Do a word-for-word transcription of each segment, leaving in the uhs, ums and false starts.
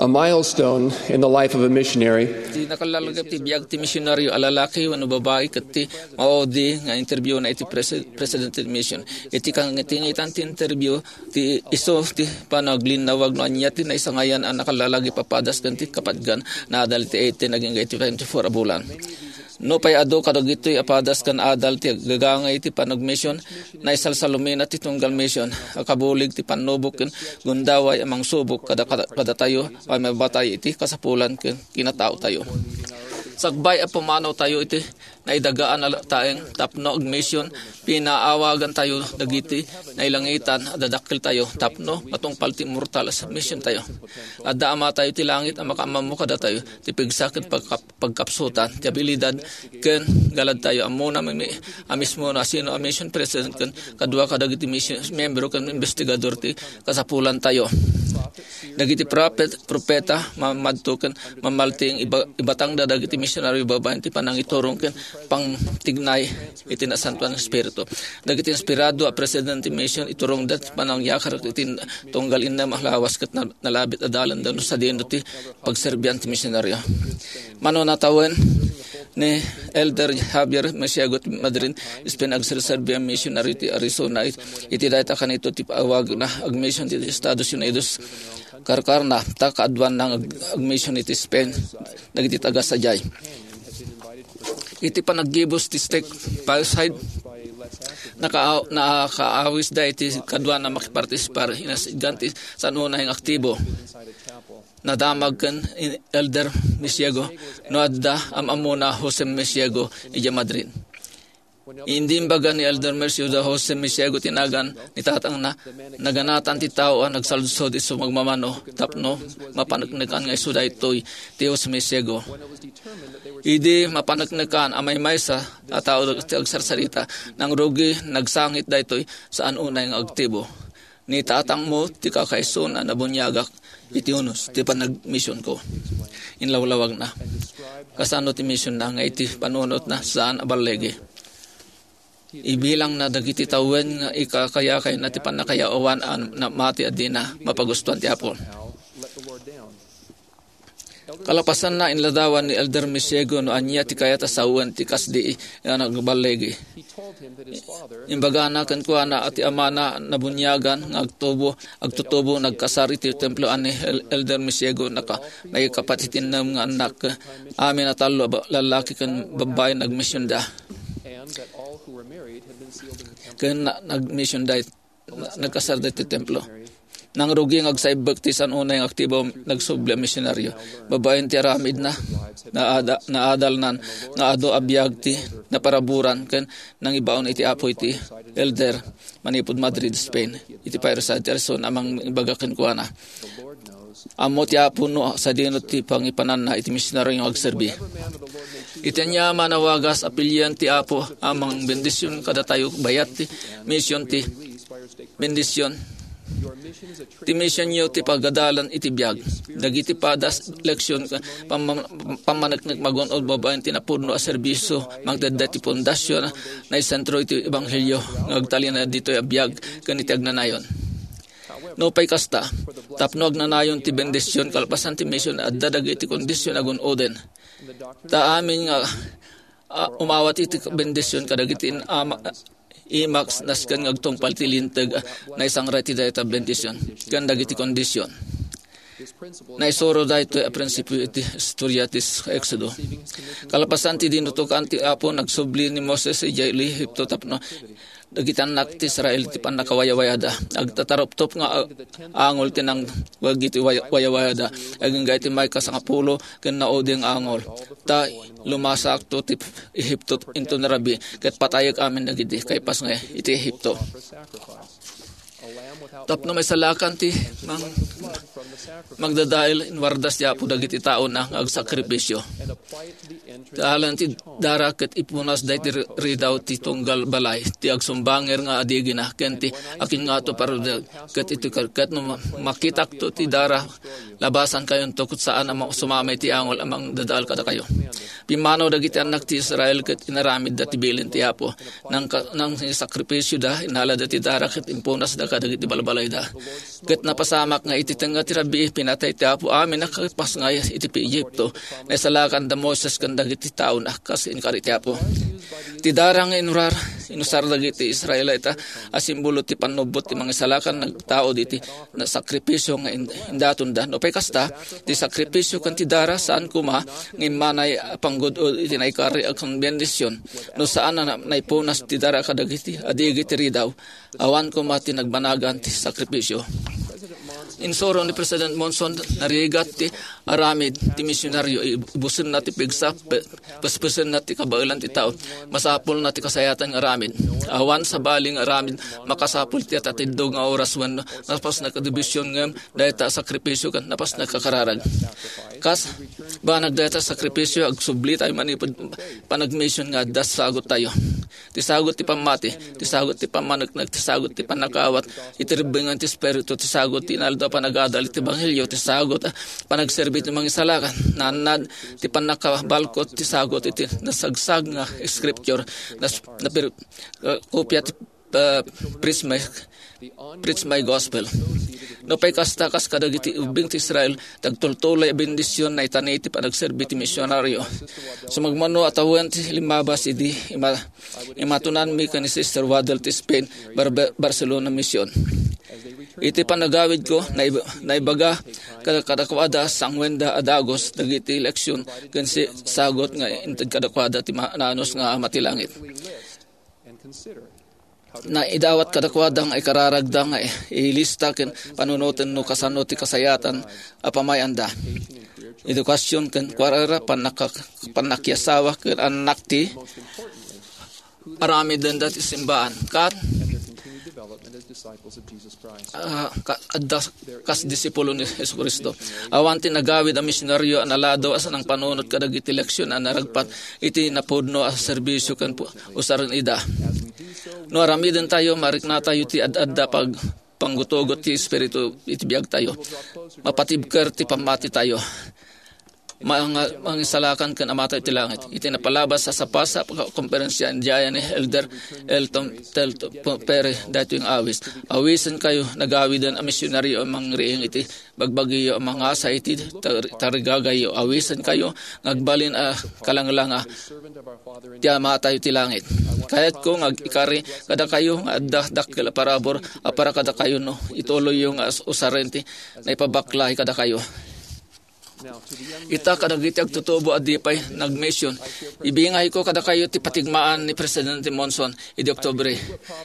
A milestone in the life of a missionary. Ti nakallalagip ti biag ti misionaryo a lalaki wenno babai ket ti maudi nga interview na iti presi-, president ti mission. Iti kangitingitan ti interview, ti isu ti panaglinawag no ania ti naisangayan a nakallalagip a padas ken ti kapatgan na adal iti eighteen agingga iti twenty-four a bulan. Nupay adu kadagitoy a padas ken adal ti agagangay iti panagmission, naisalsalumina ti tunggal mission a kabulig ti pannubok ken gundaway a mangsubok kada, kada, kadatayo a mabatay iti kasapulan ken kinataotayo. Sakbay a pumanawtayo iti naidagaan a taeng tapno agmission, pinaawagantayo dagiti nailangitan a dadakkeltayo tapno matungpal ti immortal a missiontayo. Adda Amatayo ti langit a makaammo kadatayo ti pigsa ken pagkap-, pagkapsutan ti abilidad ken galadtayo. Ammona mi-, a mismo no asino a mission president ken kadua kadagiti mission, membro ken investigador ti kasapulantayo. Dagiti propet-, propeta, ma-, madto ken mamalting iba-, ibatangda dagiti misionaryo babaen ti panangiturong ken pangtignay iti Nasantoan nga Espiritu. Dagiti inspirado a president ti mission, iturongda ti panangyakar iti tunggal innem a lawas ket na-, nalabit a dalanda no sadino ti pagserbian ti misionaryo. Mano natawen ni Elder Javier Mesiego ti Madrid, Spain, agserserbi a misionaryo ti Arizona. It-, iti dayta kanito ti awagna agmission ti Estados Unidos. Karkarna, ta kaaduanna nga ag-, agmission iti Spain, dagiti taga sadiay. Iti panaggibus ti stake fireside, naka-, nakaawis da iti kaduana makipartisipar, inasitgan ti san-unay nga aktibo. Nadamag ken Elder Mesiego no adda am-ammona Jose Mesiego idiay Madrid. Idi imbaga ni Elder Mesiego da Jose Mesiego ti nagan ni tatangna, naganatan ti tao a nagsaludsod isu magmamano tapno mapaneknekan nga isu daytoy ti Jose Mesiego. Idi mapaneknekan a maymaysa a tao ti agsarsarita, nangrugi, nagsangit daytoy san-unay nga aktibo. Ni tatangmo ti kakaisuna a nabuniagak iti unos ti panagmisionko. Inlawlawagna. Kasano ti misionna nga iti panunotna saan a balligi? Ibilangna dagiti tawen nga ikakayakayna ti pannakayawan a namati a dina mapagustuan ti Apo. Kalapasanna, inladawan ni Elder Mesiego no ania ti kayat a sawen ti kasdi nga nagballigi. Imbagana kenkuana a ti amana nabuniagan nga agtubo, agtutubo, nagkasar iti templo a ni El-, Elder Mesiego naka-, nakapatitinnem nga annak. Amin a tallo a ba-, lallaki ken babbai nagmisionda. Ken na-, nagmisionda. Na-, nagkasarda iti templo. Nangrugi nga agsaibbek ti san-unay nga aktibo nagsubli a misionaryo. Babaen ti aramidna, naada-, naadalnan nga adu a biag ti naparaburan ken nangibaon iti Apo iti elder manipud Madrid, Spain, iti Fireside, Arizona, a mangibaga kenkuana. Ammo ti Apo no sadino ti pangipananna iti misionaryo nga agserbi. Iti ania man a wagas, apilian ti Apo a mangbendision kadatayo bayat ti mision ti bendision. Ti misionyo ti pagadalan iti biag. Dagiti padas, leksion, pam-, pammaneknek magun-od babaen ti napudno a serbisio, mangted daytoy ti pundasyon, naisentro iti ebanghelio nga agtalinaed ditoy a biag ken iti agnanayon. Nupay kasta, tapno agnanayon ti bendision kalpasan ti mision, adda dagiti kondisyon a gun-oden. Ta amin nga, a, umawat iti bendision kadagiti ama-, imak nasken nga agtungpal ti linteg, a, naisangray ti dayta bendision ken dagiti kondisyon. Naisuro daytoy a prinsipio iti istorya ti Exodo. Kalpasan ti dinutokan ti Apo, nagsubli ni Moses idiay Egipto tapno dagiti annak ti Israel ti pannakawayawayada. Agtataruptop nga a-, angol ti nangwag iti way-, wayawayada. Agingga iti maikasangapulo ken naudi nga angol. Ta lumasakto ti Egipto inton rabii, ket patayek amin dagiti kaipas nga iti Egipto. Tapno maisalakan ti mang-, magdadael, inwardas ti Apo dagiti taona nga agsakripisio. Alan ti dara ket ipunas daydi ridaw ti tunggal balay, ti agsumbanger nga adigina, ken ti akingato parudel, ket iti ket no makitakto ti dara, labasan kayonto ket saan a ma-, sumamay ti angol a mangdadael kadakayo. Pimmanaw dagiti annak ti Israel ket inaramidda ti bilin ti Apo, nang ka-, nang sakripisyoda, inalada ti dara ket impunasda kadagiti balbalayda. Ket napasamak nga iti tengnga ti rabii, pinatay ti Apo amin a kapasngay iti Egipto. Naisalakan da Moses ken dagiti taona kas inkari ti Apo. Ti dara nga inurar, inusar dagiti Israelita a simbolo ti pannubbot ti mangisalakan nagtaud iti na sakripisyo nga in-, indatonda. No pay kasta, ti sakripisyo ken ti dara saan koma nga immanay a panggud-od iti naikari a bendision. No saan a na-, naipunas ti dara kadagiti adigi ti ridaw, awan koma ti nagbanagan ti sakripisyo. Insuro ni President Monson, narigat ti aramid ti misionaryo, ibusenna ti pigsa, pe-, pespesenna ti kabaelan ti tao. Masapulna ti kasayatan nga aramid. Awan sabali nga aramid makasapul ti atatiddog nga oras wenno napasna ka division ngem dayta a sakripisyo ken napasna ka kararag. Kas banag dayta a sakripisyo, agsubli tayo manipud panagmission nga adda sagot tayo. Ti sagot ti pammati, ti sagot ti pammaneknek, ti sagot ti pannakaawat iti rebbeng ti Espiritu, ti sagot ti inaldaw a panagadal iti Ebanghelio, ti sagot a panagserbi ti mangisalakan, nannad ti pannakabalkot ti sagot iti nasagsag nga scripture, nas-, napir-, uh, kopia ti, uh, Preach My, Preach My Gospel. No pay kasta, kas kadagiti ubbing ti Israel, ti agtultuloy a bendision naitani ti panagserbi ti misionaryo. Sumagmamano a tawen ti limmabas idi ima-, imatunanmi ken ni Sister Waddell ti Spain, Barbe-, Barcelona Mission. Iti panagawidko, naib-, naibaga kada-, kadakuada, sanguenda a dagus dagiti leksion ken si-, sagot nga inted kadakuada ti ma-, naanus nga Ama ti langit. Naidawat kadakuada nga ikararagda nga i-, ilista ken panunoten no kasano ti kasayatan a pamay-anda. Edukasion ken kuarera, pannaka-, pannakiasawa ken annak ti aramidenda ti simbaan. Kat, ah, ka-, adda kas disipulo ni Jesu-Cristo. Awan ti nagawid a misionaryo a naladaw a sanangpanunot kadagiti leksion a naragpat iti napudno a serbisio ken pu-, usaren ida. No aramiden tayo, marikna tayo ti ad-adda pag-, panggutugot ti Espiritu iti biag tayo. Mapatibker ti pammati tayo. Manga-, mangisalakan ken Ama tayo ti langit. Iti napalabas a sapasap a konferensia, idiay ni Elder Elton Telto Perry daytoy nga awis. Awisen kayo, nagawiden a misionaryo a mangriing iti bagbagiyo a mangasa iti tar-, tarigagayyo. Awisen kayo nga agbalin a kalanglanga ti Ama tayo ti langit. Kayatko nga agikari kadakayo nga adda dakkel a parabur a para kadakayo no ituloyyo nga as-, usaren ti naipabakla kadakayo. Ita kadagiti agtutubo a di pay nagmission, ibingayko kadakayo ti patigmaan ni Presidente Monson idi Oktubre.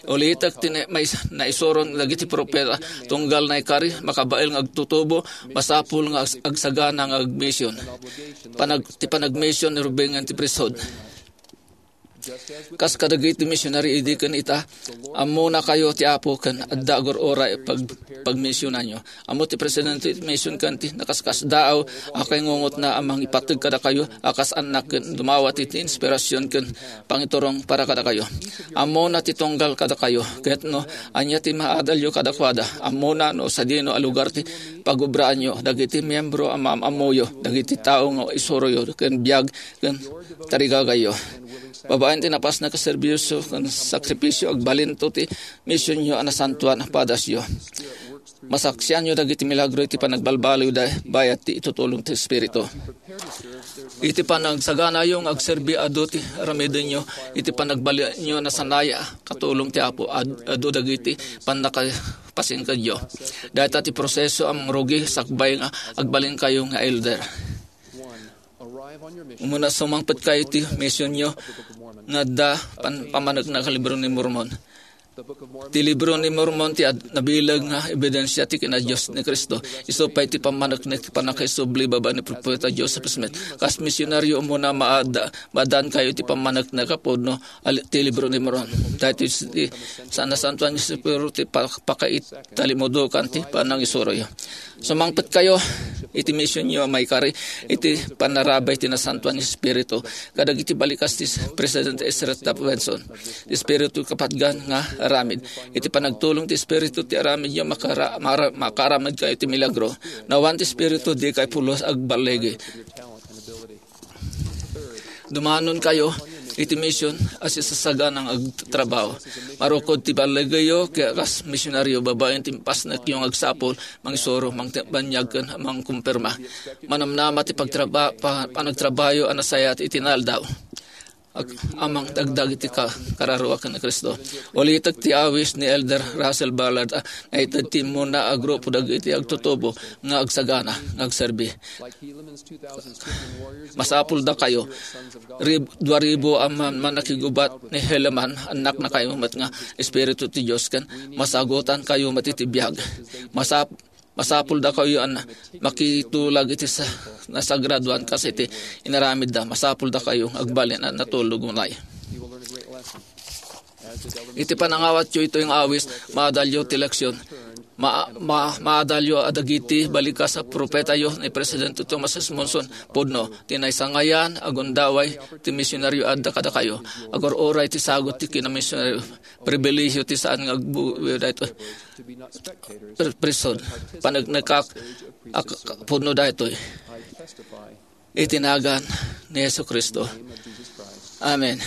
Ulitek ti na-, mais-, naisuron dagiti propeta tunggal naikari makabael nga agtutubo, masapul nga ag-, agsagana nga agmission. Panag-, ti panagmission ni rubengan ti priesthood. Kas kadagiti misionary idi ken ita, ammona kayo ti Apo ken adda agur-uray pag-, pagmisionanyo. Ammo ti presidente ti mission ken ti nakaskasdaaw a kangungotna a mangipateg kadakayo a kas annak ken dumawat iti inspirasyon ken pangiturong para kadakayo. Ammona ti tunggal kadakayo, ket no ania ti maadalyo kadakuada, ammona no sadino a lugar ti pagubraanyo dagiti miyembro a maam-ammoyo, dagiti tao nga isuroyo ken biag ken tarigagayyo. Babaen ti napasna a serbisyo ken sakripisyo, agbalinto ti misionyo a nasantoan a padasyo. Masaksianyo dagiti milagro iti panagbalbaliwda bayat ti itutulong ti Espiritu. Iti panagsaganayo nga agserbi, adu ti aramidenyo iti panagbalinyo a nasanay a katulong ti Apo, ad-, adu dagiti pannakapasingkedyo. Dayta ti proseso a mangrugi sakbay nga agbalinkayo nga elder. Umuna, sumangpet kayo ti misionyo nga adda pan-, pamaneknek a Libro ni Mormon. Ti Libro ni Mormon ti ad-, nabileg nga ebidensia ti kinadios ni Cristo. Isu pay ti pamaneknek ti pannakaisubli babaen ni Propeta Joseph Smith. Kas misionaryo, umuna, maada-, maadaan kayo ti pamaneknek a pudno a li-, ti Libro ni Mormon. Daytoy ti sa-, nasantoan nga Espiritu ti pa-, pakaitalimudokan ti panangisuroyo. Sumangpet kayo. iti misionyo a maikari iti panarabay ti Nasantoan nga Espiritu kadagiti balikas ti President Ezra Taft Benson. Ti Espiritu kapatgan nga aramid iti panagtulong ti Espiritu ti aramidyo makara-, mara-, makaaramidkayo ti milagro. Nawan ti Espiritu dikay pulos agballigi. Dumanon kayo iti mision a sisasaganang agtrabaho. Marukod ti balligiyo ket kas misionaryo babaen ti impasnekyo nga agsapul, mangisuro, mangtibanyag ken mangkumpirma. Manamnama ti pagtraba-, pa-, panagtrabaho a nasayaat iti naldaw. Ag-, amang dagdag iti ka-, kararua ken ni Cristo. Ulitek ti awis ni Elder Russell Ballard a naited ti immuna a grupo dagiti agtutubo nga agsagana, nga agserbi. Masapul dakayo. Rib-, dua ribu a man-, mannakigubat ni Helaman, annaknakayo met nga Espiritu ti Dios, ken masagutankayo met iti biag. Masap-, masapul dakayo a makitulag iti sa-, nasagradoan kas iti inaramidda. Masapul dakayo agbalin a natulog unay. Iti panangawatyo itoy nga awis, maadalyo ti leksion. Ma-, ma-, maadalyo a dagiti balikas a propetayo ni Presidente Thomas S. Monson pudno ti naisangayan a gundaway ti misionaryo adda kadakayo. Agur-uray ti sagut ti kinamisionaryo. Pribilehiyo ti saan nga agbubuyo daytoy. Pri-, prison. Paneknekak a k-, k-, pudno daytoy. Iti nagan ni Jesu-Cristo. Amen.